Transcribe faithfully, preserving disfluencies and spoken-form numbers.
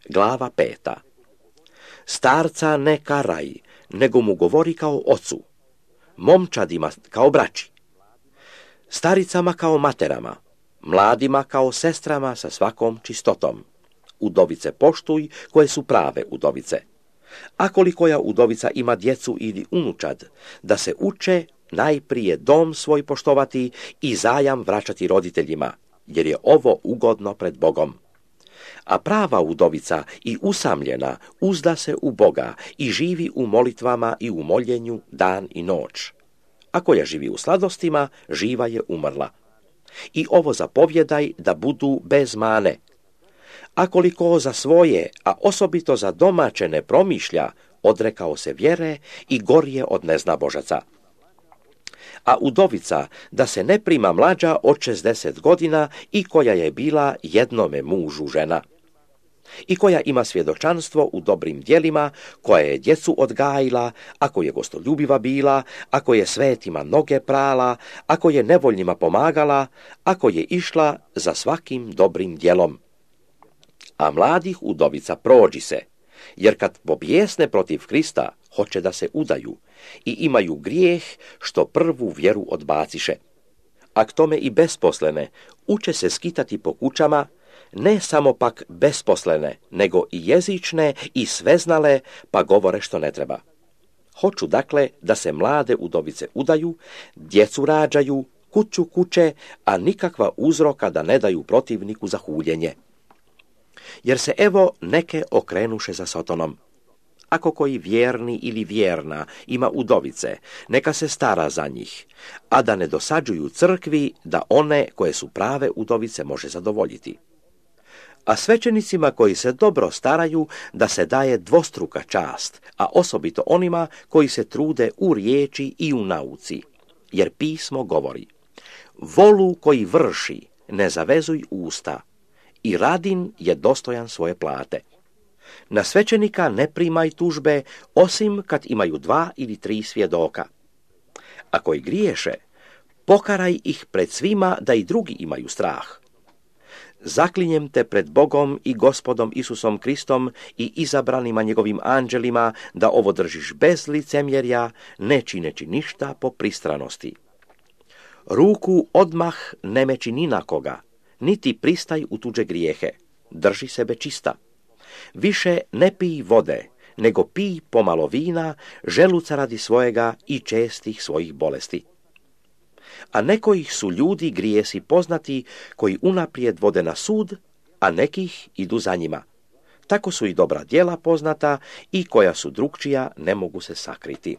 Glava peta. Starca ne karaj, nego mu govori kao ocu, momčadima kao braći, staricama kao materama, mladima kao sestrama sa svakom čistotom. Udovice poštuj koje su prave udovice. A kolikoja udovica ima djecu ili unučad, da se uče najprije dom svoj poštovati i zajam vraćati roditeljima, jer je ovo ugodno pred Bogom. A prava udovica i usamljena uzda se u Boga i živi u molitvama i u moljenju dan i noć. A koja živi u sladostima, živa je umrla. I ovo zapovjedaj da budu bez mane. A koliko za svoje, a osobito za domaće ne promišlja, odrekao se vjere i gorje od neznabožaca. A udovica da se ne prima mlađa od šezdeset godina i koja je bila jednome mužu žena. I koja ima svjedočanstvo u dobrim djelima, koja je djecu odgajila, ako je gostoljubiva bila, ako je svetima noge prala, ako je nevoljnima pomagala, ako je išla za svakim dobrim djelom. A mladih udovica prođi se, jer kad pobjesne protiv Krista, hoće da se udaju i imaju grijeh što prvu vjeru odbaciše. A k tome i besposlene uče se skitati po kućama, ne samo pak besposlene, nego i jezične i sveznale, pa govore što ne treba. Hoću dakle da se mlade udovice udaju, djecu rađaju, kuću kuće, a nikakva uzroka da ne daju protivniku za huljenje. Jer se evo neke okrenuše za Sotonom. Ako koji vjerni ili vjerna ima udovice, neka se stara za njih, a da ne dosađuju crkvi da one koje su prave udovice može zadovoljiti. A svećenicima koji se dobro staraju da se daje dvostruka čast, a osobito onima koji se trude u riječi i u nauci. Jer pismo govori, volu koji vrši ne zavezuj usta, i radin je dostojan svoje plate. Na svećenika ne primaj tužbe, osim kad imaju dva ili tri svjedoka. A koji griješe, pokaraj ih pred svima da i drugi imaju strah. Zaklinjem te pred Bogom i Gospodom Isusom Kristom i izabranima njegovim anđelima da ovo držiš bez licemjerja, ne čineći ništa po pristranosti. Ruku odmah ne meči ni na koga, niti pristaj u tuđe grijehe, drži sebe čista. Više ne pij vode, nego pij pomalo vina, želuca radi svojega i čestih svojih bolesti. A nekojih su ljudi grijesi poznati koji unaprijed vode na sud, a nekih idu za njima. Tako su i dobra djela poznata i koja su drukčija ne mogu se sakriti.